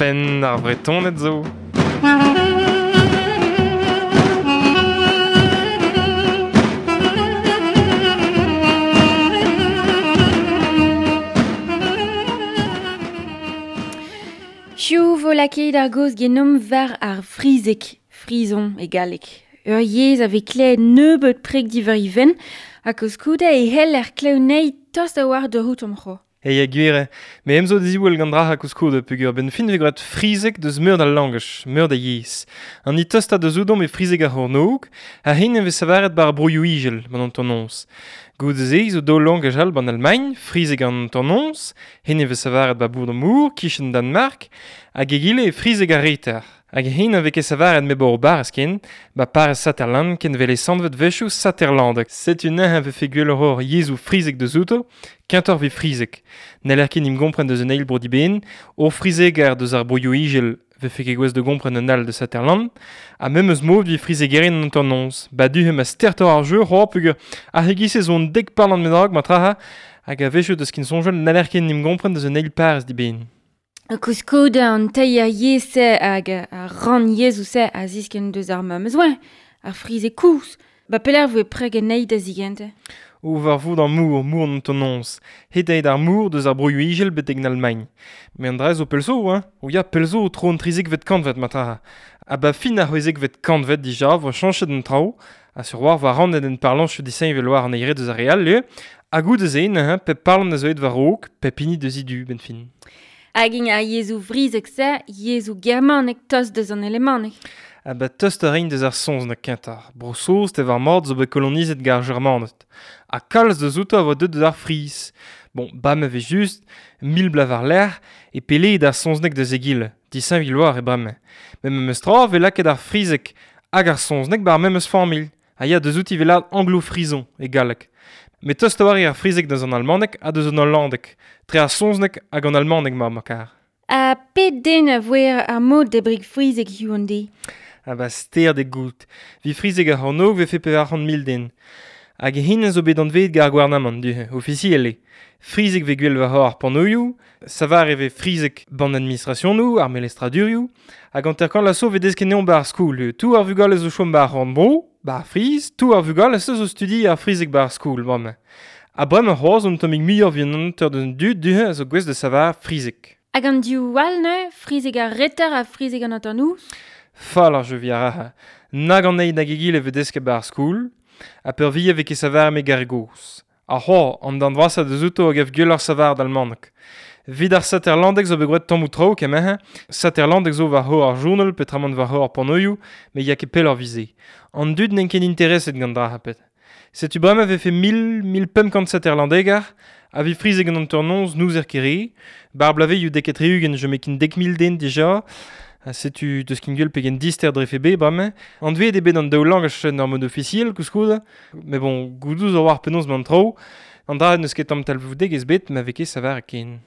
Penn ar Vretoned zo. Hiziv vo lakaet ar gaoz genomp war ar frizeg, frison e galleg. Ur yezh a vez klevet nebeut preg diwar he fenn, ha koulskoude e c'heller klev anezhi tost a-walc'h da c'hoût omp c'hoazh. Hey, ya gwir eo. Me em zo diziwall gant dra koulskoude peogwir benn fin vez graet frizeg deus meur da langaj, meur da yezh. An ni tostañ deus ouzhomp eo frizeg ar c'hornôg, ha hen e vez savaret bar broioù igel, ban an tornoz. Goude-se zo daou langaj all ban Almagn, frizeg an tornoz, hen e vez savaret ba bourd an Mour, kichen Danmark, hag egile e frizeg ar reter. Hag hen a vez ket savaret me bor barrez ken, ba parrez Saterland ken vele sanvet vechoù Saterlandek. Setu neuze a vefe gwelloc'h hor yezhoù frizeg deus outo, kentoc'h vez frizeg. N'heller ket n'im gompren deus un eil bro diben, hor frizeger deus ar broioù igel vefe ket gouest da gompren un all deus Saterland, ha memes mod vi frizegerien an tornoz. Ba du ma stertor ar jeu, c'hoar peogwir ar c'hegise zo an dek parlant bennak ma traha, hag a vechoù deus kin soñjal n'heller ket n'im gompren deus un eil parrez diben. Koulskoude an teir yezh-se hag ar rann yezhoù-se a ziskenn deus ar memes oa, ar frizeg koulz. Ba pelec'h voe preg anezhi da zigentañ? O war vout ar mour, mour an tonons. Het aet ar mour deus ar broioù igel betek en Almagn. Me an dra zo pell zo, hein? O ya, pell zo tro an 13vet kantved ma traha. Ha ba fin ar 16vet kantved dija vo chañchet an traoù, ha sur war war rannet en parlañchoù disheñvel war an eire deus ar re all, eo. Ha goude-se, neuze, pep parlant a zo aet war-raok, pep hini deus e du, benn fin. Hag int ar yezhoù vrizek-se, yezhoù germanek tost deus an alemanek. Ha ba tost a reint deus ar soñj na kentañ. Bro-Saoz tev ar mord zo bet kolonizet gant ar Germaned. Ha kalz deus outo a voa deuet deus ar Friz. Bon, ba ma vez just, mil bloaz war-lerc'h, e pelleet ar soñznek deus egile, disheñvel war e bremañ. Met memes tra vez lakaet ar frizeg hag ar soñznek bar memes familh. Ha ya deus outi vez lâret anglo-frison e galleg. Met tost a oar eo ar frizeg deus an almaneg ha deus an hollandeg. Tre ar soñznek hag an almaneg ma ma kar. Ha pet den a voe ar mod da brig frizeg hiziv an deiz? Ha ba ster de goût. Vi frizeg ar c'hornôg vefe 400 000 den. Hag hen a zo bet anveet gant ar gouarnamant, du, ofisiel eo. Frizeg vez gwell war ar panoioù, savar e vez frizeg ban administrationoù, ar melestradurioù, hag hanter-kant la so vez desket neomp ba ar skoul. Tout ar vugale zo chom ba ar c'horn-bro, ba ar Friz, tout ar vugale zo studi ar frizeg ba ar skoul, bremañ. Ha bremañ c'hoazh un tammig muioc'h vit an hanter deus an dud du a zo gouest da savar frizeg. Hag an div all neuze, frizeg ar reter ha frizeg an hanternoz? Fall ar jeu vi ar raha. Nag an eil nag egile vez desket ba ar skoul, ha peurvuiañ vez ket savar me gar gozh. Ar c'hoar, an darn vrasañ deus outo a gav gwelloc'h savar d'almaneg. Vit ar Saterlandeg zo bet graet tammoù traoù kement-ha. Saterlandeg zo war c'hor ar journal petramant war c'hor ar panoioù, met ya ket pelloc'h 'vit-se. An dud n'int ket intereset gant dra pet. Setu bremañ vefe 1000, 1500 Saterlandegar, ha vi frizeg an hanternoz n'ouzer ket re, bar blavezioù dek ha tri-ugent je kin 10 000 den dija, ha setu deus kin gwell pegen dister drefe bet bremañ. Anveet eo bet an daou langaj en ur mod ofisiel koulskoude, met bon, gouzout zo war penaos 'mañ an traoù, an dra n'eus ket tamm talvoudegezh bet ma vez ket savar ken.